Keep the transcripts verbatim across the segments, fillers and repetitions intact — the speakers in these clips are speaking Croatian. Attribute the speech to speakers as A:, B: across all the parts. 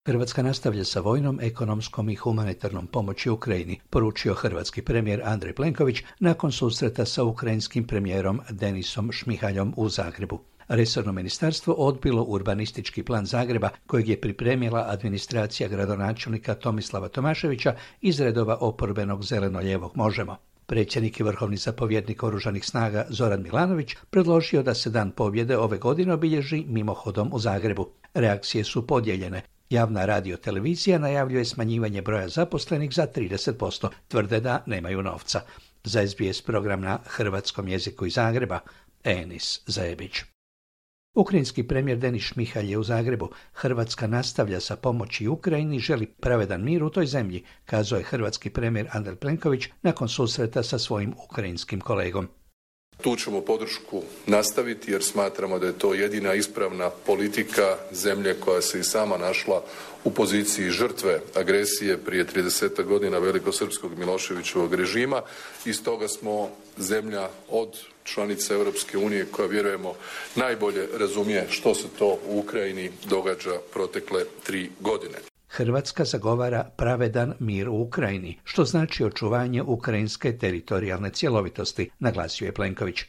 A: Hrvatska nastavlja sa vojnom, ekonomskom i humanitarnom pomoći Ukrajini, poručio hrvatski premijer Andrej Plenković nakon susreta sa ukrajinskim premijerom Denisom Šmihaljom u Zagrebu. Resorno ministarstvo odbilo urbanistički plan Zagreba kojeg je pripremila administracija gradonačelnika Tomislava Tomaševića iz redova oporbenog zeleno-lijevog Možemo. Predsjednik i vrhovni zapovjednik Oružanih snaga Zoran Milanović predložio da se Dan pobjede ove godine obilježi mimohodom u Zagrebu. Reakcije su podijeljene. Javna radiotelevizija najavljuje smanjivanje broja zaposlenih za trideset posto, tvrde da nemaju novca. Za S B S program na hrvatskom jeziku iz Zagreba, Enis Zajebić. Ukrajinski premijer Denis Šmihalj je u Zagrebu. Hrvatska nastavlja sa pomoći Ukrajini i želi pravedan mir u toj zemlji, kazao je hrvatski premijer Andrej Plenković nakon susreta sa svojim ukrajinskim kolegom.
B: Tu ćemo podršku nastaviti jer smatramo da je to jedina ispravna politika zemlje koja se i sama našla u poziciji žrtve agresije prije trideset godina velikosrpskog Miloševićevog režima i stoga smo zemlja od članica Europske unije koja vjerujemo najbolje razumije što se to u Ukrajini događa protekle tri godine.
A: Hrvatska zagovara pravedan mir u Ukrajini, što znači očuvanje ukrajinske teritorijalne cjelovitosti, naglasio je Plenković.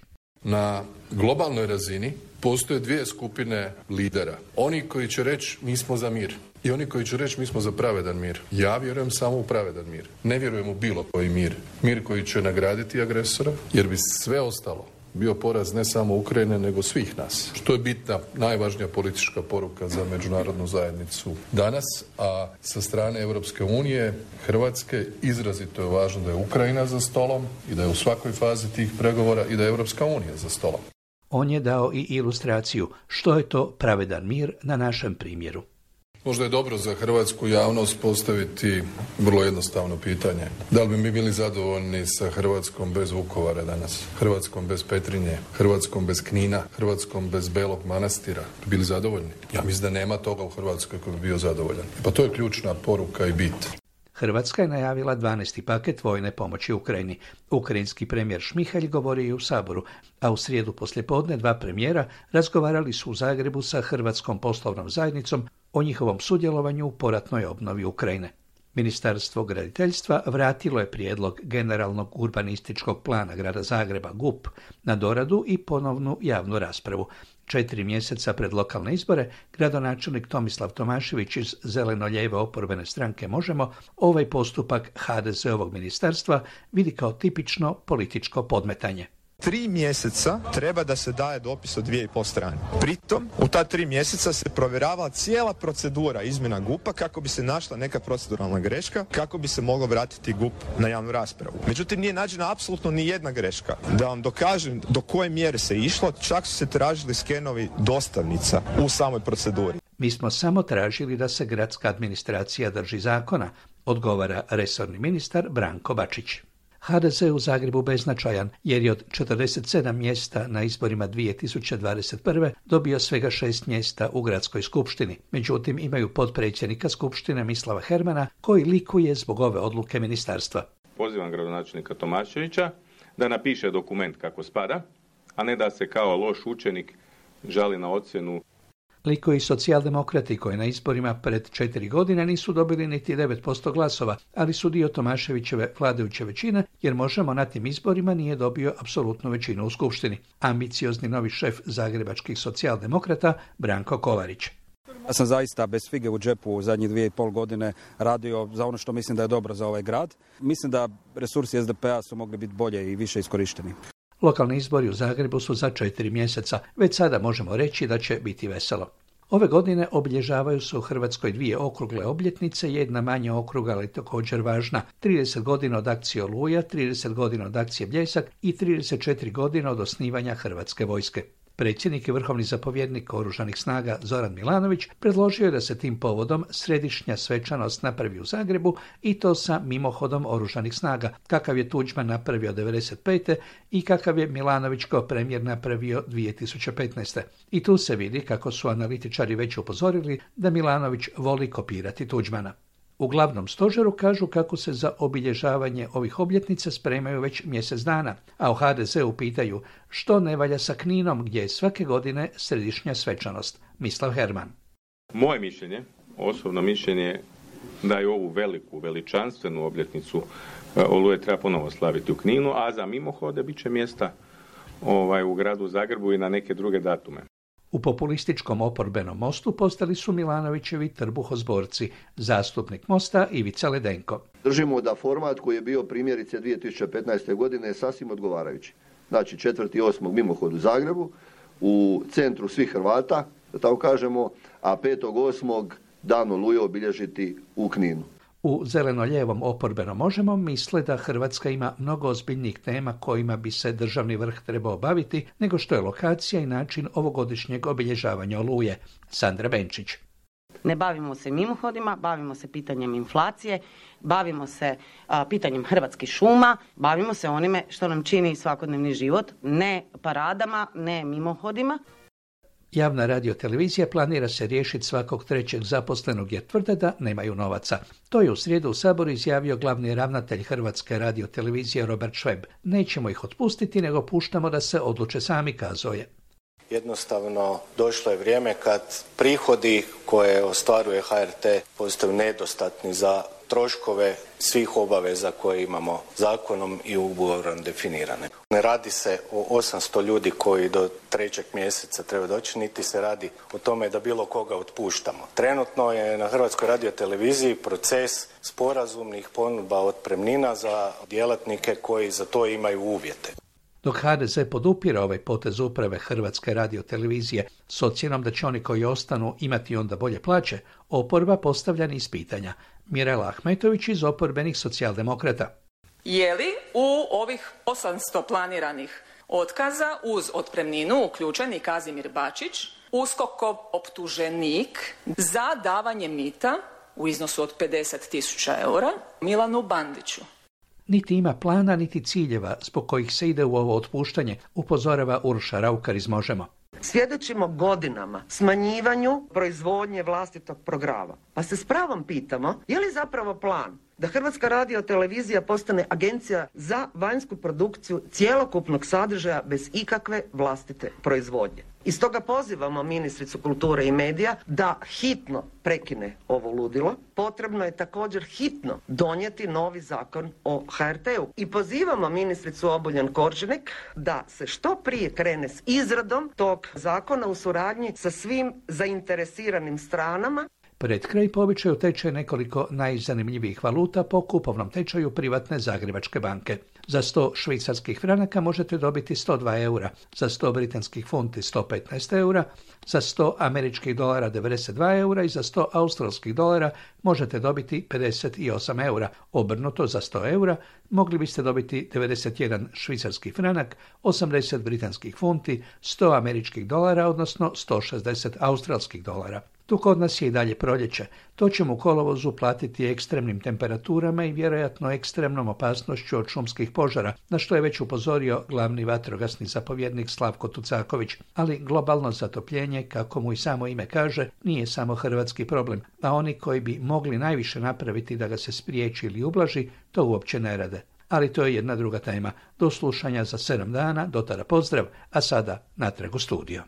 B: Na globalnoj razini postoje dvije skupine lidera. Oni koji će reći mi smo za mir i oni koji će reći mi smo za pravedan mir. Ja vjerujem samo u pravedan mir. Ne vjerujem u bilo koji mir. Mir koji će nagraditi agresora jer bi sve ostalo bio poraz ne samo Ukrajine, nego svih nas. Što je bitna, najvažnija politička poruka za međunarodnu zajednicu danas, a sa strane Europske unije, Hrvatske, izrazito je važno da je Ukrajina za stolom i da je u svakoj fazi tih pregovora i da je Europska unija za stolom.
A: On je dao i ilustraciju što je to pravedan mir na našem primjeru.
B: Možda je dobro za hrvatsku javnost postaviti vrlo jednostavno pitanje. Da li bi mi bili zadovoljni sa Hrvatskom bez Vukovara danas? Hrvatskom bez Petrinje? Hrvatskom bez Knina? Hrvatskom bez Belog Manastira? Bi bili zadovoljni? Ja mislim da nema toga u Hrvatskoj koji bi bio zadovoljan. Pa to je ključna poruka i bit.
A: Hrvatska je najavila dvanaesti paket vojne pomoći Ukrajini. Ukrajinski premijer Šmihalj govorio i u Saboru, a u srijedu poslijepodne dva premijera razgovarali su u Zagrebu sa Hrvatskom poslovnom zajednicom o njihovom sudjelovanju u poratnoj obnovi Ukrajine. Ministarstvo graditeljstva vratilo je prijedlog generalnog urbanističkog plana grada Zagreba G U P na doradu i ponovnu javnu raspravu. Četiri mjeseca pred lokalne izbore, gradonačelnik Tomislav Tomašević iz zeleno-lijeve oporbene stranke Možemo ovaj postupak ha de zeovog ministarstva vidi kao tipično političko podmetanje.
C: Tri mjeseca treba da se daje dopis od dvije i pol strane. Pritom, u ta tri mjeseca se provjeravala cijela procedura izmjena G U P-a kako bi se našla neka proceduralna greška, kako bi se moglo vratiti G U P na javnu raspravu. Međutim, nije nađena apsolutno ni jedna greška. Da vam dokažem do koje mjere se išlo, čak su se tražili skenovi dostavnica u samoj proceduri.
A: Mi smo samo tražili da se gradska administracija drži zakona, odgovara resorni ministar Branko Bačić. ha de ze u Zagrebu beznačajan jer je od četrdeset sedam mjesta na izborima dvije tisuće dvadeset prve dobio svega šest mjesta u gradskoj skupštini. Međutim, imaju potpredsjednika skupštine Mislava Hermana koji likuje zbog ove odluke ministarstva.
D: Pozivam gradonačelnika Tomaševića da napiše dokument kako spada, a ne da se kao loš učenik žali na ocjenu.
A: Liko i socijaldemokrati koji na izborima pred četiri godine nisu dobili niti devet posto glasova, ali su dio Tomaševićeve vladajuće većine, jer Možemo na tim izborima nije dobio apsolutnu većinu u skupštini. Ambiciozni novi šef zagrebačkih socijaldemokrata Branko Kolarić.
E: Ja sam zaista bez fige u džepu u zadnjih dvije i pol godine radio za ono što mislim da je dobro za ovaj grad. Mislim da resursi es de pe-a su mogli biti bolje i više iskorišteni.
A: Lokalni izbori u Zagrebu su za četiri mjeseca. Već sada možemo reći da će biti veselo. Ove godine obilježavaju se u Hrvatskoj dvije okrugle obljetnice, jedna manje okruga, ali također važna. trideset godina od akcije Oluja, trideset godina od akcije Bljesak i trideset četiri godine od osnivanja Hrvatske vojske. Predsjednik i vrhovni zapovjednik Oružanih snaga Zoran Milanović predložio je da se tim povodom središnja svečanost napravi u Zagrebu i to sa mimohodom Oružanih snaga, kakav je Tuđman napravio devedeset pete i kakav je Milanović kao premijer napravio dvije tisuće petnaeste. I tu se vidi kako su analitičari već upozorili da Milanović voli kopirati Tuđmana. U glavnom stožeru kažu kako se za obilježavanje ovih obljetnica spremaju već mjesec dana, a u ha de ze-u pitaju što ne valja sa Kninom gdje je svake godine središnja svečanost. Mislav Herman.
D: Moje mišljenje osobno mišljenje da i ovu veliku, veličanstvenu obljetnicu Oluje treba ponovo slaviti u Kninu, a za mimohode bit će mjesta ovaj, u gradu Zagrebu i na neke druge datume.
A: U populističkom oporbenom Mostu postali su Milanovićevi trbuhozborci, zastupnik Mosta Ivica Ledenko.
F: Držimo da format koji je bio primjerice dvije tisuće petnaeste. godine je sasvim odgovarajući. Znači četvrti osmog mimohod u Zagrebu, u centru svih Hrvata, da tako kažemo, a petog osmog dan Oluje obilježiti u Kninu.
A: U zeleno-lijevom oporbenom Možemo misle da Hrvatska ima mnogo ozbiljnijih tema kojima bi se državni vrh trebao baviti nego što je lokacija i način ovogodišnjeg obilježavanja Oluje. Sandra Benčić.
G: Ne bavimo se mimohodima, bavimo se pitanjem inflacije, bavimo se a, pitanjem Hrvatskih šuma, bavimo se onime što nam čini svakodnevni život, ne paradama, ne mimohodima.
A: Javna radiotelevizija planira se riješiti svakog trećeg zaposlenog jer tvrde da nemaju novaca. To je u srijedu u Saboru izjavio glavni ravnatelj Hrvatske radiotelevizije Robert Šveb. Nećemo ih otpustiti, nego puštamo da se odluče sami, kazao je.
H: Jednostavno došlo je vrijeme kad prihodi koje ostvaruje H R T postaju nedostatni za troškove svih obaveza koje imamo zakonom i ugovorom definirane. Ne radi se o osamsto ljudi koji do trećeg mjeseca treba doći, niti se radi o tome da bilo koga otpuštamo. Trenutno je na Hrvatskoj radioteleviziji proces sporazumnih ponudba otpremnina za djelatnike koji za to imaju uvjete.
A: Dok H D Z podupira ovaj potez uprave Hrvatske radiotelevizije s ocjenom da će oni koji ostanu imati onda bolje plaće, oporba postavlja niz pitanja. Mirela Ahmetović iz oporbenih socijaldemokrata.
I: Je li u ovih osamsto planiranih otkaza uz otpremninu uključen i Kazimir Bačić, USKOK-ov optuženik za davanje mita u iznosu od pedeset tisuća eura Milanu Bandiću?
A: Niti ima plana, niti ciljeva zbog kojih se ide u ovo otpuštanje, upozorava Uroša Raukar iz Možemo.
J: Svjedočimo godinama smanjivanju proizvodnje vlastitog programa. Pa se s pravom pitamo, je li zapravo plan da Hrvatska radiotelevizija postane agencija za vanjsku produkciju cjelokupnog sadržaja bez ikakve vlastite proizvodnje? I stoga pozivamo ministricu kulture i medija da hitno prekine ovo ludilo. Potrebno je također hitno donijeti novi zakon o H R T-u. I pozivamo ministricu Obuljen Koržinek da se što prije krene s izradom tog zakona u suradnji sa svim zainteresiranim stranama.
A: Pred kraj po običaju tečaj nekoliko najzanimljivijih valuta po kupovnom tečaju privatne Zagrebačke banke. Za sto švicarskih franaka možete dobiti sto dva eura, za sto britanskih funti sto petnaest eura, za sto američkih dolara devedeset dva eura i za sto australskih dolara možete dobiti pedeset osam eura. Obrnuto, za sto eura mogli biste dobiti devedeset jedan švicarski franak, osamdeset britanskih funti, sto američkih dolara, odnosno sto šezdeset australskih dolara. Tu kod nas je i dalje proljeće. To ćemo u kolovozu platiti ekstremnim temperaturama i vjerojatno ekstremnom opasnošću od šumskih požara, na što je već upozorio glavni vatrogasni zapovjednik Slavko Tucaković. Ali globalno zatopljenje, kako mu i samo ime kaže, nije samo hrvatski problem, a oni koji bi mogli najviše napraviti da ga se spriječi ili ublaži, to uopće ne rade. Ali to je jedna druga tema. Do slušanja za sedam dana, do tada pozdrav, a sada natrag u studio.